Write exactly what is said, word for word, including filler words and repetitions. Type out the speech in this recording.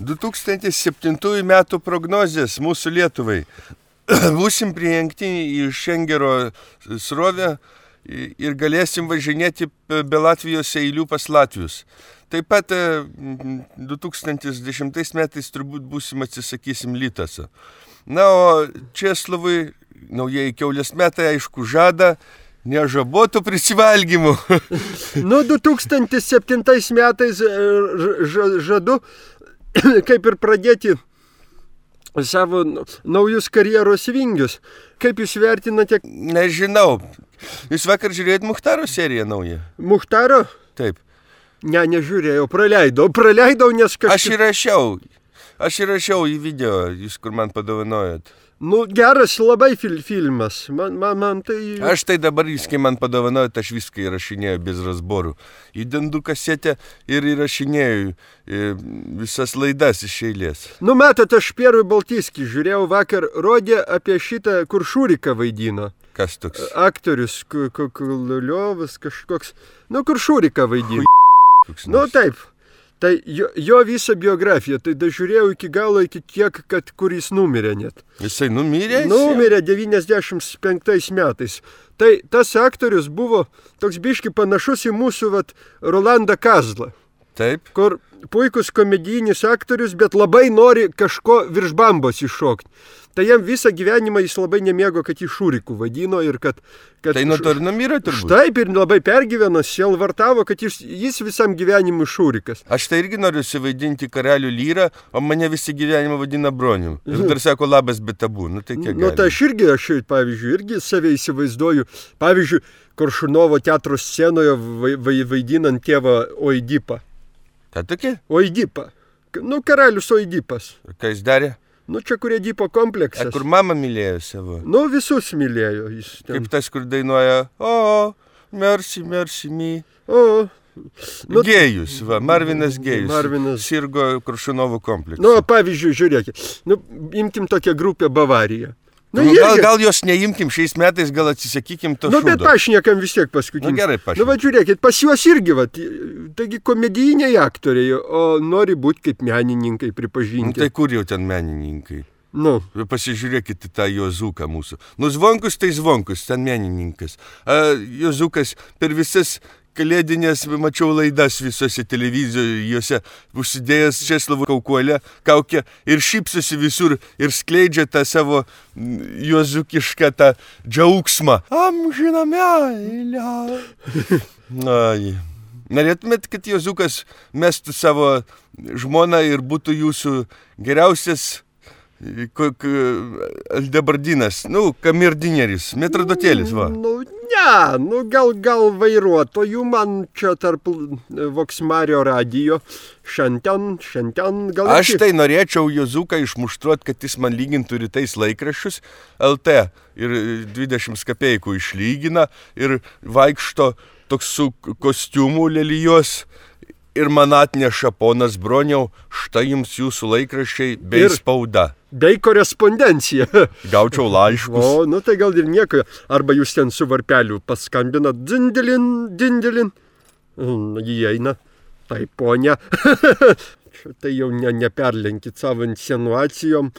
du tūkstantis septintųjų metų prognozės mūsų Lietuvai. Būsim prijungti į Šengero srovę ir galėsim važinėti be Latvijos eilių pas Latvius. Taip pat du tūkstantis dešimtais metais turbūt būsim atsisakysim Lytaso. Na, o Česlovui naujieji kiaulės metai, aišku, žada nežabotų prisivalgymų. Nu, du tūkstantis septintais metais žadu kaip ir pradėti savo naujus karjeros vingius. Kaip jūs vertinate? Nežinau. Jūs vakar žiūrėjot Muchtaro seriją naują? Muchtaro? Taip. Ne, nežiūrėjau, praleidau. Praleidau, nes kažkaip... Aš įrašiau. Aš įrašiau į video, jūs kur man padovanojot. Nu, geras labai fil filmas. Man, man, man tai... Aš tai dabar, jūs kai man padovanojot, aš viską įrašinėjau bez razborų. Įdendu kasetę ir įrašinėjau visas laidas iš eilės. Nu, matot, aš Pierui Baltiskį žiūrėjau vakar, rodė apie šitą, kur Šuriką vaidino. Kas toks? Aktorius, Kuliovas kažkoks. Nu, kur Šuriką vaidino. Nu, taip. Tai jo, jo visą biografiją, tai dažiūrėjau iki galo, iki tiek, kad kur jis numirė net. Jisai numirė? Numirė devyniasdešimt penktais metais. Tai tas aktorius buvo toks biški panašus į mūsų vat, Rolandą Kazlą. Taip. Kur puikus komedijinis aktorius, bet labai nori kažko virš bambos iššokti. Tai jam visą gyvenimą jis labai nemėgo, kad jį Šuriku vadino ir kad... kad tai nuo to ir numirė turbūt. Taip, ir labai pergyveno, sielvartavo, kad jis, jis visam gyvenimui Šurikas. Aš tai irgi noriu suvaidinti karalių Lyrą, o mane visi gyvenimą vadina Bronium. Ir dar sako labas be tabų. Nu tai kiek Nu tai aš irgi, aš, pavyzdžiui, irgi save įsivaizduoju. Pavyzdžiui, Koršunovo teatro scenoje vai, vaidinant tėvą Oidipą. Ką tokia? Oidipą. Nu, karalius Oidipas. Ką jis darė? Nu, čia kur Edipo kompleksas. A, kur mama mylėjo savo? Nu, visus mylėjo. Jis ten... Kaip tas, kur dainuoja, o, merci, merci, mi. O. Nu, Gėjus, va, Marvinas Gėjus. Marvinas. Sirgo Koršunovo kompleksą. Nu, pavyzdžiui, žiūrėkit. Nu, imkim tokią grupę Bavarija. Nu, nu, gal, gal jos neimkim šiais metais, gal atsisakykim to nu, šūdo. Nu, bet pašnekam vis tiek paskutinį. Nu, gerai pašnekam. Nu, va, žiūrėkit, pas juos irgi, va, taigi komedijiniai aktoriai, o nori būti kaip menininkai pripažinti. Nu, tai kur jau ten menininkai? Nu. Pasižiūrėkite tą Jozuką mūsų. Nu, Zvonkus tai Zvonkus, ten menininkas. A, Jozukas per visas... Kalėdinės, mačiau laidas visose televizijose, užsidėjęs Česlovo kaukolę, kaukę ir šypsosi visur ir skleidžia tą savo jozukišką tą džiaugsmą. Amžiną meilę. Ai. Norėtumėt, kad Jozukas mestų savo žmoną ir būtų jūsų geriausias aldebardinas, nu, kamerdineris, metrodotėlis, va. Nu, ne, nu, gal, gal vairuotojų man čia tarp Voksmario radijo šiandien, šiandien gal... Aš tai norėčiau Jozuką išmuštruot, kad jis man lygintų rytais laikraščius L T ir dvidešimt kapeikų išlygina ir vaikšto toks su kostiumu lelijos. Ir man atneša ponas Broniau, štai jums jūsų laikraščiai bei ir spauda. Bei korespondencija. Gaučiau laiškus. O, nu tai gal ir nieko. Arba jūs ten su varpeliu paskambinat, dindilin, dindilin. Įeina. Tai ponia. Tai jau ne, neperlenkit savo insinuacijom.